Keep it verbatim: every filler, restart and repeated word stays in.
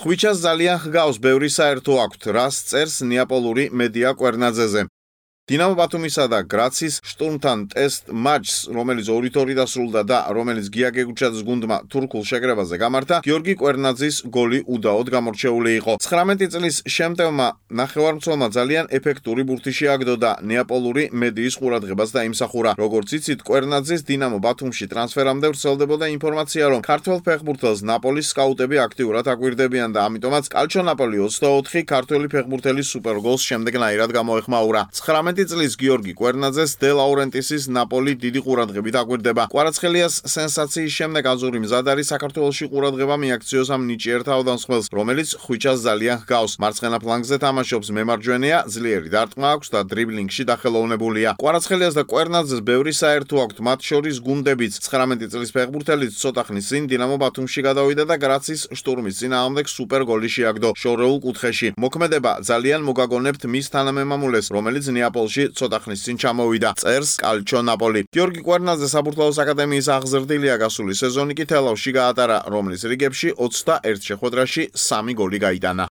ხვიჩას ძალიან ჰგავს ბევრი საერთო აქვთ, რას წერს ნეაპოლური მედია კვერნაძეზე. დინამო ბათუმისა და გრაცის შტურმთან ტესტ მატჩს, რომელიც ორ ორი დასრულდა და რომელიც გია გეგუჩაძის გუნდმა თურქულ შეკრებაზე გამართა, გიორგი კვერნაძის გოლი უდაოდ გამორჩეული იყო. ცხრამეტი წლის შემტევმა ნახევარმცველმა ძალიან ეფექტური ბურთი შეაგდო და ნეაპოლური მედიის ყურადღებას დაიმსახურა. როგორც იცით, კვერნაძის დინამო ბათუმში ტრანსფერამდე ვრცელდებოდა ინფორმაცია, რომ ქართველ ფეხბურთელს ნაპოლის სკაუტები აქტიურად აკვირდებიან და ამიტომაც კალჩო ნაპოლი ოცდაოთხი ქართველი ფეხბურთელის სუპერგოლს შემდეგნაირად გამოეხმაურა. ცხრამეტი წლის გიორგი კვერნაძეს დე ლაურენტისის ნაპოლი დიდი ყურადღებით აკვირდება. კვარაცხელიას სენსაციის შემდეგ აზური მზად არის საქართველოში ყურადღება მიაქციოს ამ ნიჭიერ თავდამსხმელს, რომელიც ხვიჩას ძალიან ჰგავს. მარცხენა ფლანგზე თამაშობს, მემარჯვენეა, ძლიერი დარტყმა აქვს და დრიბლინგში დახელოვნებულია. კვარაცხელიას და კვერნაძეს ბევრი საერთო აქვთ, მათ შორის გუნდებიც. ცხრამეტი წლის ფეხბურთელიც ცოტა ხნის წინ დინამო ბათუმში გადავიდა და გრაცის შტურმის წინააღმდეგ სუპერ გოლი შეაგდო შორეულ კუთხეში. მოქმედება ძალიან მოგაგონებთ მის თანამემამულეს, რომელიც ნეაპოლში ცოტა ხნის წინ ჩამოვიდა, წერს კალჩო ნაპოლი. გიორგი კვერნაძე საბურთალოს აკადემიის აღზრდილია, გასული სეზონი კი თელავში გაატარა, რომლის რიგებში ოცდაერთ შეხვედრაში სამი გოლი გაიტანა.